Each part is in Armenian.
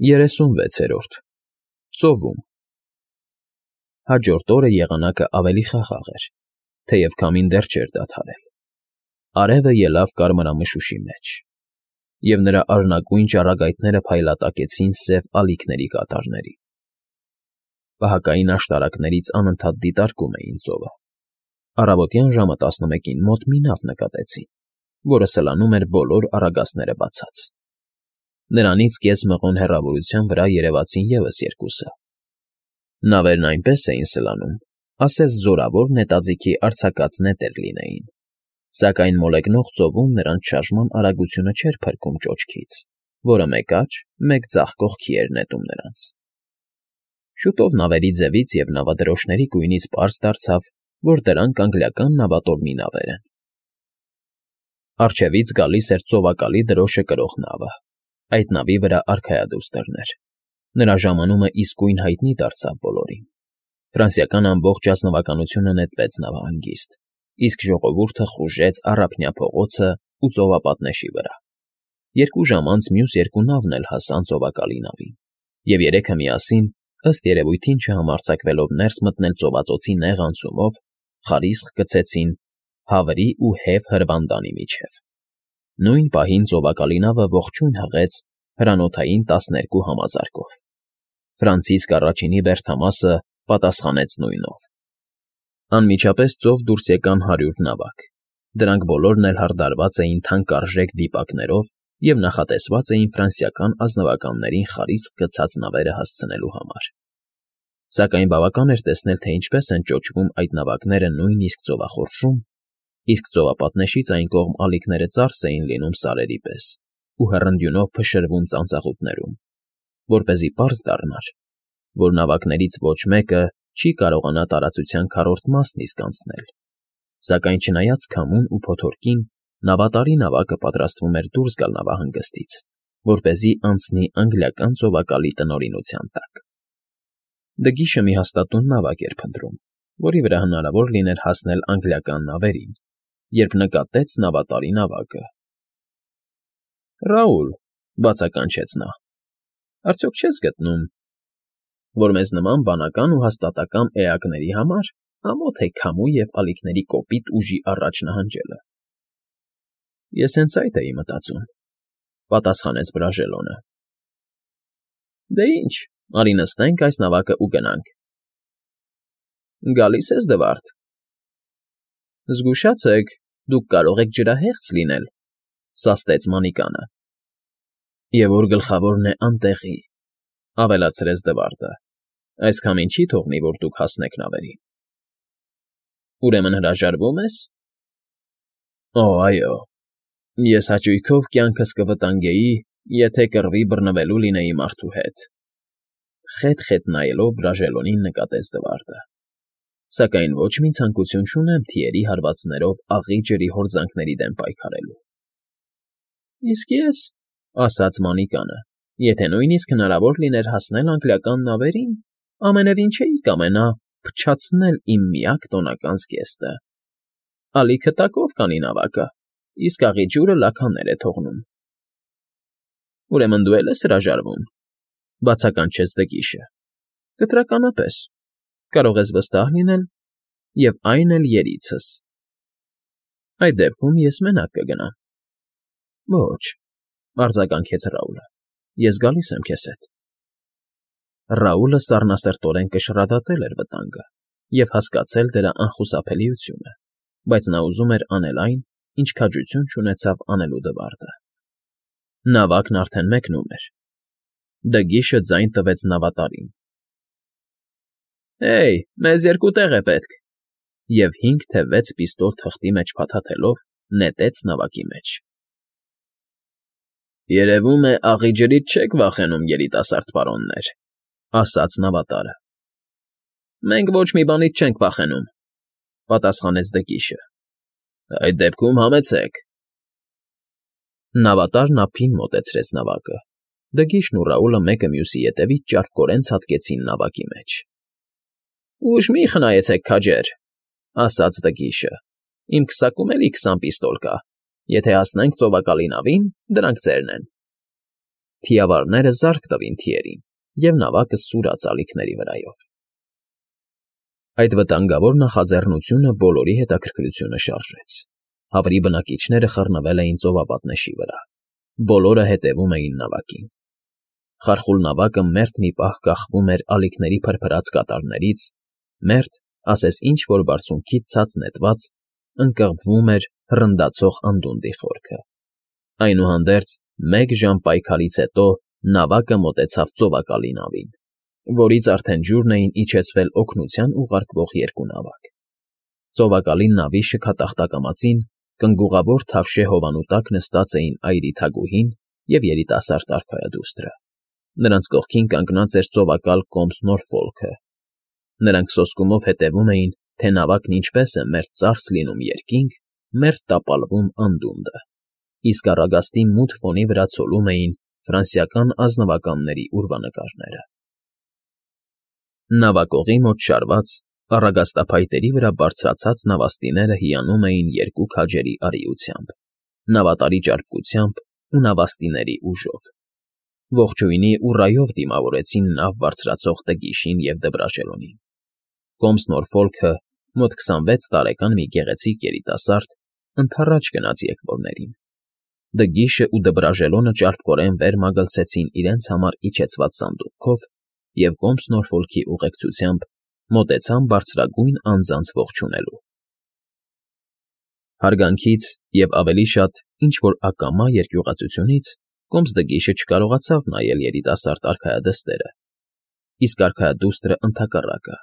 36-րդ Ծովում Հաջորդ օրը եղանակը ավելի խաղաղ էր, թեև քամին դեռ չէր դադարել. արևը ելավ կարմրամշուշի մեջ, և նրա արնագույն ճառագայթները փայլատակեցին սև ալիքների կատարների. պահակային աշտարակներից անընդհատ դիտարկում էին ծովը. առավոտյան ժամը 11-ին մոտ մի նավ նկատեցին, որը սլանում էր բոլոր առագաստները բացած. նրանից կես մղոն հեռավորության վրա երևացին ևս երկուսը. նավերն այնպես էին սլանում, ասես զորավոր նետաձիգի արձակած նետեր լինեին, սակայն մոլեգնող ծովում նրանց շարժման արագությունը չէր փրկում ճոճքից, որը մեկ աջ, մեկ ձախ կողքի էր նետում նրանց. Շուտով նավերի ձևից և նավադրոշների գույնից պարզ դարձավ, որ դրանք անգլիական նավատորմի նավեր են. առջևից գալիս էր ծովակալի դրոշը կրող նավը, այդ նավի վրա արքայադուստրն էր. նրա ժամանումը իսկույն հայտնի դարձավ բոլորին. ֆրանսիական ամբողջ ազնվականությունը նետվեց նավահանգիստ, իսկ ժողովուրդը խուժեց Առափնյա փողոցն ու ծովապատնեշի վրա. 2 ժամ անց մյուս երկու նավն էլ հասան ծովակալի նավին, և երեքը միասին, ըստ երևույթին չհամարձակվելով ներս մտնել ծովածոցի նեղ անցումով, խարիսխ գցեցին Հավրի ու Հև հրվանդանի միջև. նույն պահին ծովակալի նավը ողջույն հղեց հրանոթային 12 համազարկով. Ֆրանցիսկ առաջինի բերդամասը պատասխանեց նույնով. անմիջապես ծով դուրս եկան 100 նավակ, դրանք բոլորն էլ հարդարված էին թանկարժեք դիպակներով և նախատեսված էին ֆրանսիական ազնվականներին խարիսխ գցած նավերը հասցնելու համար. Սակայն բավական էր տեսնել, թե ինչպես են ճոճվում այդ նավակները նույնիսկ ծովախորշում, իսկ ծովապատնեշից այն կողմ ալիքները ծարս էին լինում սարերի պես ու հռնդյունով փշրվում ծանծաղուտներում, որպեսզի պարզ դառնար, որ նավակներից ոչ մեկը չի կարողանա տարածության քառորդ մասն իսկ անցնել, սակայն չնայած քամուն ու փոթորկին, նավատարի նավակը պատրաստվում էր դուրս գալ նավահանգստից, որպեսզի անցնի անգլիական ծովակալի տնօրինության տակ. Դգիշը մի հաստատուն նավակ էր փնտրում, որի վրա հնարավոր լիներ հասնել անգլիական նավերին, երբ նկատեց նավատարի նավակը. Ռաուլ,֊ բացականչեց նա,֊ արդյոք չես գտնում, որ մեզ նման բանական ու հաստատակամ էակների համար ամոթ է քամու և ալիքների կոպիտ ուժի առաջ նահանջելը։ ֊ Ես հենց այդ էի մտածում,֊ պատասխանեց Բրաժելոնը։ ֊ Դե ինչ, արի նստենք այս նավակն ու գնանք։ ֊ Գալի՞ս ես, Դվարդ։ ֊ Զգուշացեք, դուք կարող եք ջրահեղձ լինել,֊ սաստեց Մանիկանը։ ֊ Եվ որ գլխավորն է անտեղի,֊ ավելացրեց Դվարդը,֊ այսքամին չի թողնի, որ դուք հասնեք նավերին։ ֊ Ուրեմն հրաժարվո՞ւմ ես։ ֊ Օ, այո, ես հաճույքով կյանքս կվտանգեի, եթե կռվի բռնվելու լինեի մարդու հետ,֊ խետ֊խետ նայելով Բրաժելոնին նկատեց Դվարդը,֊ սակայն ոչ մի ցանկություն չունեմ թիերի հարվածներով աղի ջրի հորձանքների դեմ պայքարելու։ ֊ Իսկ ես,֊ ասաց Մանիկանը,֊ եթե նույնիսկ հնարավոր լիներ հասնել անգլիական նավերին, ամենևին չէի կամենա փչացնել իմ միակ տոնական զգեստը։ Ալիքը տակով կանի նավակը, իսկ աղի ջուրը լաքաներ է թողնում։ ֊ Ուրեմն դու էլ ես հրաժարվում,֊ բացականչեց Դգիշը,֊ կտրականապես, կարող ես վստահ լինել, և այն էլ երիցս։ ֊ Այդ դեպքում ես մենակ կգնամ։ ֊ Ոչ,֊ արձագանքեց Ռաուլը,֊ ես գալիս եմ քեզ հետ։ Ռաուլը սառնասրտորեն կշռադատել էր վտանգը և հասկացել դրա անխուսափելիությունը, բայց նա ուզում էր անել այն, ինչ քաջություն չունեցավ անելու Դվարդը։ Նավակն արդեն մեկնում էր։ Դգիշը ձայն տվեց նավատարին. Հեյ, մեզ 2 տեղ է պետք, և 5 թե 6 պիստոլ թղթի մեջ փաթաթելով նետեց նավակի մեջ։ ֊ Երևում է, աղի ջրից չեք վախենում, երիտասարդ պարոններ,֊ ասաց նավատարը։ ֊ Մենք ոչ մի բանից չենք վախենում,֊ պատասխանեց Դգիշը։ ֊ Այդ դեպքում համեցեք։ Նավատարն ափին մոտեցրեց նավակը։ Դգիշն ու Ռաուլը մեկը մյուսի ետևից ճարպկորեն ցատկեցին նավակի մեջ։ ֊ Ուժ մի՛ խնայեցեք, քաջեր,֊ ասաց Դգիշը,֊ իմ քսակում էլի 20 պիստոլ կա, եթե հասնենք ծովակալի նավին, դրանք ձերն են։ թիավարները զարկ տվին թիերին, և նավակը սուրաց ալիքների վրայով։ Այդ վտանգավոր նախաձեռնությունը բոլորի հետաքրքրությունը շարժեց։ Հավրի բնակիչները խռնվել էին ծովապատնեշի վրա։ Բոլորը հետևում էին նավակին։ Խարխուլ նավակը մերթ մի պահ կախվում էր ալիքների փրփրած կատարներից, մերթ, ասես ինչ-որ բարձունքից ցած նետված, ընկղմվում էր հռնդացող անդունդի խորքը։ Այնուհանդերձ, մեկ ժամ պայքարից հետո նավակը մոտեցավ ծովակալի նավին, որից արդեն ջուրն էին իջեցվել օգնության ուղարկվող երկու նավակ։ Ծովակալի նավի շքատախտակամածին կնգուղավոր թավշե հովանու տակ նստած էին այրի թագուհին և երիտասարդ արքայադուստրը։ Նրանց կողքին կանգնած էր ծովակալ կոմս Նորֆոլքը։ Նրանք սոսկումով հետևում էին, թե նավակն ինչպես է մերթ ծարս լինում երկինք, մերթ տապալվում անդունդը, իսկ առագաստի մութ ֆոնի վրա ցոլում էին ֆրանսիական ազնվականների ուրվանկարները։ Նավակողի մոտ շարված, առագաստափայտերի վրա բարձրացած նավաստիները հիանում էին երկու քաջերի արիությամբ, նավատարի ճարպկությամբ ու նավաստիների ուժով։ Ողջույնի ու ռայով դիմավորեցին նավ բարձրացող Դգիշին և Դբրաժելոնին։ Կոմս Նորֆոլքը, մոտ 26 տարեկան մի գեղեցիկ երիտասարդ, ընդառաջ գնաց եկվորներին։ Դգիշը ու Դբրաժելոնը ճարպկորեն վեր մագլցեցին իրենց համար իջեցված սանդուղքով և կոմս Նորֆոլքի ուղեկցությամբ մոտեցան բարձրագույն անձանց ողջունելու։ Հարգանքից և ավելի շատ ինչ-որ ակամա երկյուղածությունից կոմս Դգիշը չկարողացավ նայել երիտասարդ արքայադստերը, իսկ արքայադուստրը ընդհակառակը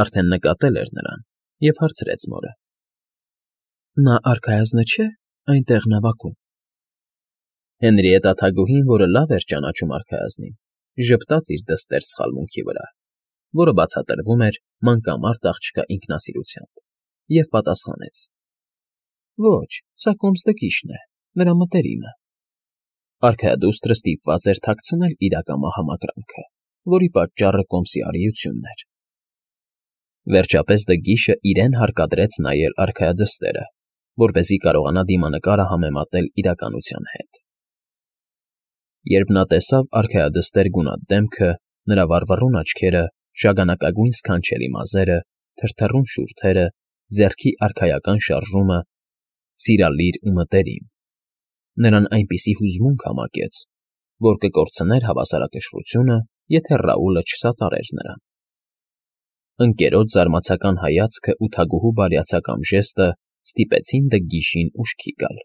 արդեն նկատել էր նրան և հարցրեց մորը. «Նա արքայազնը չէ՞ այնտեղ նավակում»։ Հենրիետտա թագուհին, որը լավ էր ճանաչում արքայազնին, ժպտաց իր դստեր սխալմունքի վրա, որը բացատրվում էր մանկամարտ աղջկա ինքնասիրությամբ, և պատասխանեց. «Ոչ, սա կոմս Դգիշն է, նրա մտերիմը»։ Արքայադուստրը ստիպված էր թաքցնել իր ակամա համակրանքը, որի պատճառը կոմսի արիությունն էր։ Վերջապես Դգիշը իրեն հարկադրեց նայել արքայադստերը, որպեսզի կարողանա դիմանկարը համեմատել իրականության հետ։ Երբ նա տեսավ արքայադստեր գունատ դեմքը, նրա վառվռուն աչքերը, շագանակագույն սքանչելի մազերը, թրթռուն շուրթերը, ձեռքի արքայական շարժումը, սիրալիր ու մտերիմ, նրան այնպիսի հուզմունք համակեց, որ կկորցներ հավասարակշռությունը, եթե Ռաուլը չսատարեր նրան։ Ընկերոջ զարմացական հայացքը ու թագուհու բարյացակամ ժեստը ստիպեցին Դգիշին ուշքի գալ։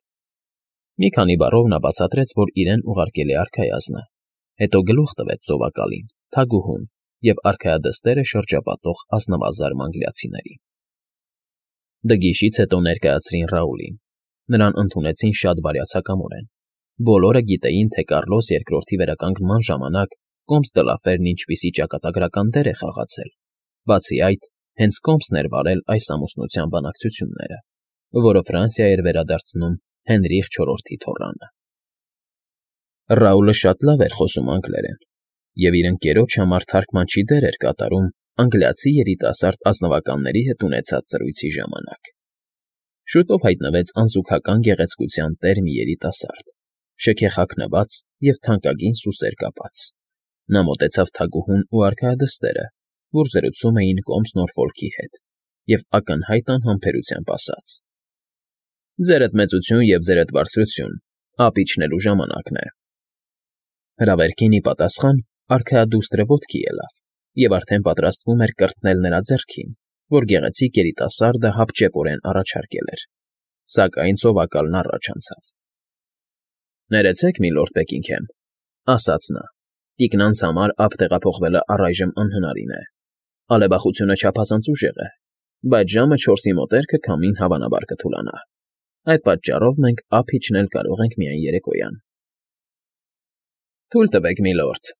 Մի քանի բառով նա բացատրեց, որ իրեն ուղարկել է արքայազնը, հետո գլուխ տվեց ծովակալին, թագուհուն և արքայադստերը շրջապատող ազնվազարմ անգլիացիներին։ Դգիշից հետո ներկայացրին Ռաուլին։ Նրան ընդունեցին շատ բարյացակամորեն։ Բոլորը գիտեին, թե Կարլոս II վերականգնման ժամանակ կոմս Դլաֆերն ինչպիսի ճակատագրական դեր է խաղացել, բացի այդ, հենց կոմսն էր վարել այս ամուսնության բանակցությունները, որը Ֆրանսիա էր վերադարձնում Հենրիխ IV թոռանը։ Ռաուլը շատ լավ էր խոսում անգլերեն, և իր ընկերոջ համար թարգմանչի դեր էր կատարում անգլիացի երիտասարդ ազնվականների հետ ունեցած զրույցի ժամանակ։ Շուտով հայտնվեց անզուգական գեղեցկության տեր մի երիտասարդ, շքեխաքնված և թանկագին սուսեր կապած։ Նա մոտեցավ թագուհուն ու արքայադստերը, որ զրուցում էին կոմս Նորֆոլքի հետ, և ակնհայտ անհամբերությամբ ասաց. «Ձերդ մեծություն և ձերդ բարձրություն, ափ իջնելու ժամանակն է»։ Հրավերքին ի պատասխան արքայադուստրը ոտքի ելավ և արդեն պատրաստվում էր կրտնել նրա ձեռքին, որ գեղեցիկ երիտասարդը հապճեպորեն առաջարկել էր, սակայն ծովակալն առաջ անցավ։ «Ներեցեք, միլորդ Բեքինգհեմ», ասաց նա, «տիկնանց համար ափ տեղափոխվելը առայժմ անհնարին է։ Ալեբախությունը չափազանց ուժեղ է, բայց ժամը 4-ի մոտերքը քամին հավանաբար կթուլանա։ Այդ պատճառով մենք ափ իջնել կարող ենք միայն երեկոյան»։ «Թույլ տվեք, միլորդ»,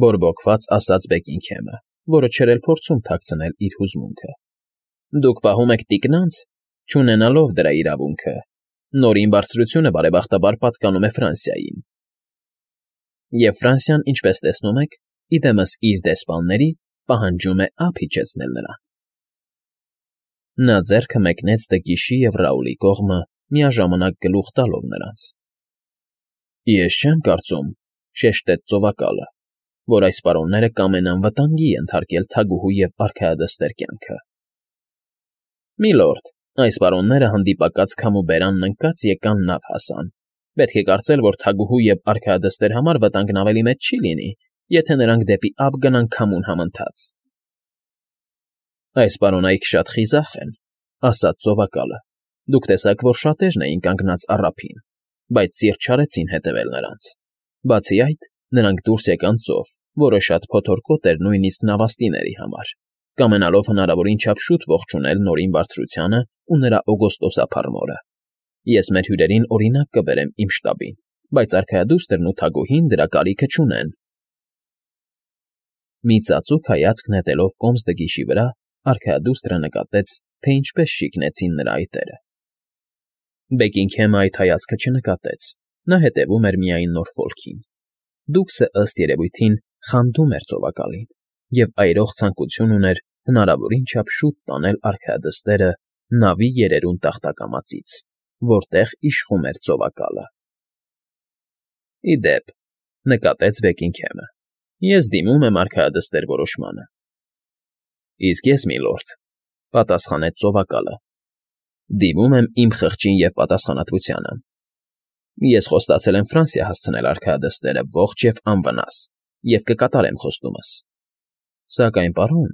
բորբոքված ասաց Բեքինգհեմը, որը չէր էլ փորձում թաքցնել իր հուզմունքը։ «Դուք պահում եք տիկնանց, չունենալով դրա իրավունքը։ Նորին բարձրությունը բարեբախտաբար պատկանում է Ֆրանսիային։ Եվ Ֆրանսիան, ինչպես տեսնում եք, իդեմս իր դեսպանների պահանջում է ափ իջեցնել նրան»։ Նա ձեռքը մեկնեց Դգիշի և Ռաուլի կողմը, միաժամանակ գլուխ տալով նրանց։ «Ես չեմ կարծում, շեշտեց ծովակալը, որ այս պարոնները կամենան վտանգի ենթարկել թագուհու և արքայադստեր կյանքը։ Միլորդ, այս պարոնները հանդիպակաց քամու բերանն ընկած եկան նավ հասան։ Պետք է կարծել, որ թագուհու և արքայադստեր համար վտանգն ավելի մեծ չի լինի, եթե նրանք դեպի ափ գնան քամուն համընթաց։ Այս պարոնայք շատ խիզախ են, ասաց ծովակալը։ Դուք տեսաք, որ շատերն էին կանգնած առափին, բայց սիրտ չարեցին հետևել նրանց։ Բացի այդ, նրանք դուրս եկան ծով, որը շատ փոթորկոտ էր նույնիսկ նավաստիների համար, կամենալով հնարավորին չափ շուտ ողջունել Նորին Բարձրությանը ու նրա օգոստոսափառ մորը։ Ես մեր հյուրերին օրինակ կբերեմ իմ շտաբին, բայց արքայադուստրն ու թագուհին դրա կարիքը չունեն։ Մի ծածուկ հայացք նետելով կոմս դգիշի վրա, արքայադուստրը նկատեց, թե ինչպես շիկնեցին նրա այտերը։ Բեկինգհեմը այդ հայացքը չնկատեց, նա հետևում էր միայն Նորֆոլքին։ Դուքսը ըստ երևույթին խանդում էր ծովակալին և այրող ցանկություն ուներ հնարավորին չափ շուտ տանել արքայադստերը նավի երերուն տախտակամածից, որտեղ իշխում էր ծովակալը։ Ի դեպ, նկատեց Բեկինգհեմը, ես դիմում եմ արքայադստեր որոշմանը։ Իսկ ես, միլորդ, պատասխանեց ծովակալը, դիմում եմ իմ խղճին և պատասխանատվությանը։ Ես խոստացել եմ Ֆրանսիա հասցնել արքայադստերը ողջ և անվնաս և կկատարեմ խոստումս։ Սակայն, պարոն,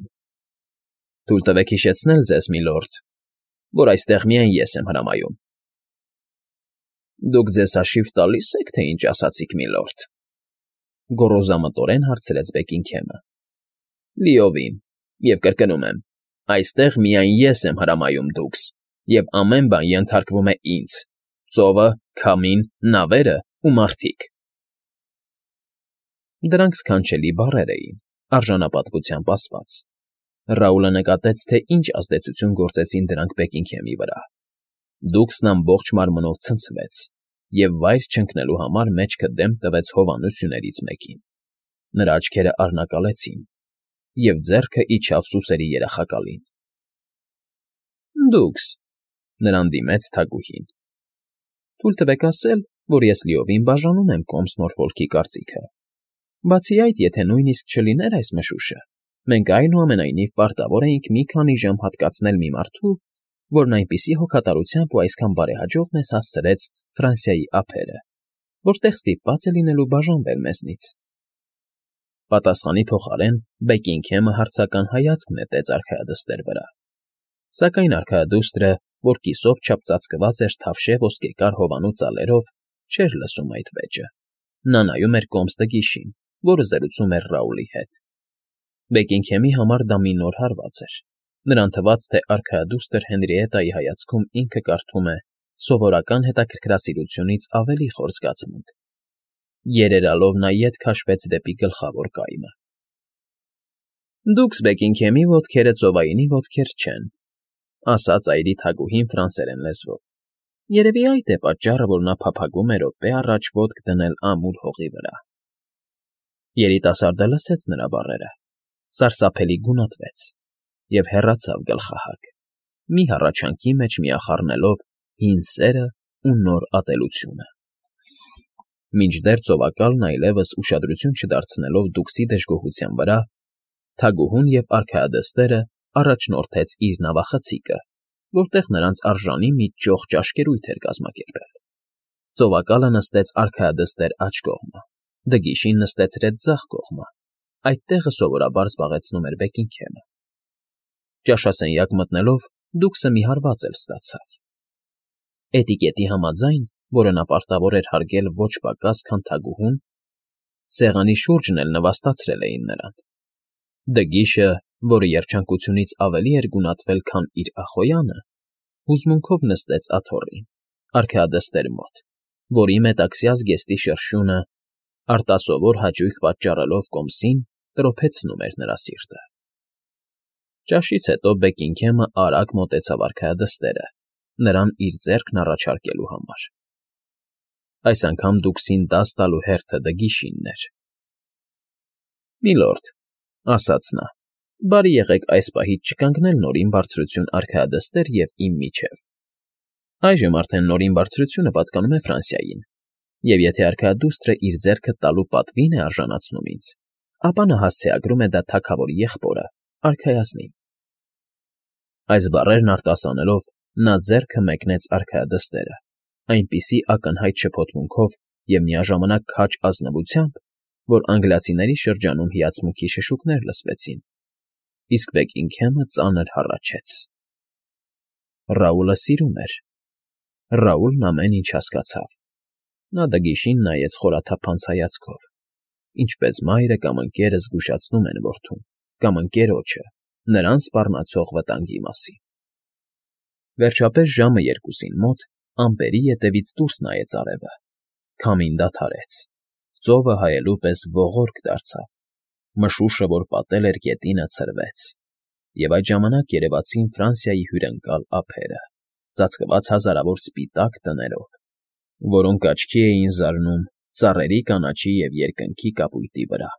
թույլ տվեք հիշեցնել ձեզ, միլորդ, որ այստեղ միայն ես եմ հրամայում։ Դուք ձեզ հաշիվ տալի՞ս եք, թե ինչ ասացիք, միլորդ, գոռոզամտորեն հարցրեց Բեկինգհեմը։ Լիովին, և կրկնում եմ, այստեղ միայն ես եմ հրամայում, դուքս, և ամեն բան ենթարկվում է ինձ՝ ծովը, քամին, նավերը ու մարդիկ։ Դրանք սքանչելի բառեր էին, արժանապատվությամբ ասված։ Ռաուլը նկատեց, թե ինչ ազդեցություն գործեցին դրանք Բեկինգհեմի վրա։ Դուքսն ամբողջ մարմնով ցնցվեց և վայր չընկնելու համար մեջքը դեմ տվեց հովանու սյուներից մեկին։ Նրա աչքերը առնակալեցին, և ձեռքը իջավ սուսերի երախակալին։ Դուքս, նրան դիմեց թագուհին, թույլ տվեք ասել, որ ես լիովին բաժանում եմ կոմս Նորֆոլքի կարծիքը։ Բացի այդ, եթե նույնիսկ չլիներ այս մշուշը, մենք այնուամենայնիվ պարտավոր էինք մի քանի ժամ հատկացնել մի մարդու, որն այնպիսի հոգատարությամբ ու այսքան բարեհաջող մեզ հասցրեց Ֆրանսիայի ափերը, որտեղ ստիպված է լինելու բաժանվել մեզնից։ Պատասխանի փոխարեն Բեկինգհեմը հարցական հայացք նետեց արքայադստեր վրա։ Սակայն արքայադուստրը, որ կիսով չափծածկված էր թավշե ոսկեկար հովանու ծալերով, չէր լսում այդ վեճը։ Նա նայում էր կոմս դգիշին, որը զրուցում էր Ռաուլի հետ։ Բեկինգհեմի համար դա մի նոր հարված էր։ Նրան թվաց, թե արքայադուստր Հենրիետայի հայացքում ինքը կարդում է սովորական հետաքրքրասիրությունից ավելի խոր զգացմունք։ Երերալով նա ետ քաշվեց դեպի գլխավոր կայմը։ Դուքս Բեկինգհեմի ոտքերը ծովայինի ոտքեր չեն, ասաց այրի թագուհին ֆրանսերեն լեզվով։ Երևի այդ է պատճառը, որ նա փափագում է րոպե առաջ ոտք դնել ամուր հողի վրա։ Երիտասարդը լսեց նրա բառերը, սարսափելի գունատվեց և հեռացավ գլխահակ, մի հառաչանքի մեջ միախառնելով հին սերն ու նոր ատելությունը։ Մինչդեռ ծովակալն այլևս ուշադրություն չդարձնելով դուքսի դժգոհության վրա, թագուհուն և արքայադստերը առաջնորդեց իր նավախցիկը, որտեղ նրանց արժանի մի ճոխ ճաշկերույթ էր կազմակերպել։ Ծովակալը նստեց արքայադստեր աջ կողմը, դգիշին նստեցրեց ձախ կողմը, այդ տեղը սովորաբար զբաղեցնում էր Բեկինգհեմը։ Ճաշասենյակ մտնելով դուքսը մի հարված էլ ստացավ։ Էտիկետի համաձայն, որը նա պարտավոր էր հարգել ոչ պակաս, քան թագուհուն, սեղանի շուրջն էլ նվաստացրել էին նրան։ Դգիշը, որը երջանկությունից ավելի էր գունատվել, քան իր ախոյանը, հուզմունքով նստեց աթոռին, արքայադստեր մոտ, որի մետաքսյա զգեստի շրշյունը, արտասովոր հաճույք պատճառելով կոմսին, տրոփեցնում էր նրա սիրտը։ Ճաշից հետո Բեկինգհեմը արագ մոտեցավ արքայադստերը, նրան իր ձեռքն առաջարկելու համար։ Այս անգամ դուքսին դաս տալու հերթը դգիշինն էր։ Միլորդ, ասաց նա, բարի եղեք այս պահից չկանգնել Նորին Բարձրություն արքայադստեր և իմ միջև։ Այժմ արդեն Նորին Բարձրությունը պատկանում է Ֆրանսիային, Եվ եթե արքայադուստրը իր ձեռքը տալու պատվին է արժանացնում ինձ, ապա նա հասցեագրում է դա թագավորի եղբորը, արքայազնին։ Այս բառերն արտասանելով նա ձեռքը մեկնեց արքայադստերը, այնպիսի ակնհայտ շփոթմունքով և միաժամանակ քաջ ազնվությամբ, որ անգլիացիների շրջանում հիացմունքի շշուկներ լսվեցին, իսկ Բեքինգհեմը ծանր հառաչեց։ Ռաուլը սիրում էր։ Ռաուլն ամեն ինչ հասկացավ։ Նա դգիշին նայեց խորաթափանց հայացքով, ինչպես մայրը կամ ընկերը զգուշացնում են որդուն կամ ընկերոջը նրան սպառնացող վտանգի մասին։ Վերջապես ժամը 2-ին մոտ ամպերի ետևից դուրս նայեց արևը, քամին դադարեց, ծովը հայելու պես ողորկ դարձավ, մշուշը, որ պատել էր գետինը, ցրվեց, և այդ ժամանակ երևացին Ֆրանսիայի հյուրընկալ ափերը, ծածկված հազարավոր սպիտակ տներով, որոնք աչքի էին զարնում ծառերի կանաչի և երկնքի կապույտի վրա։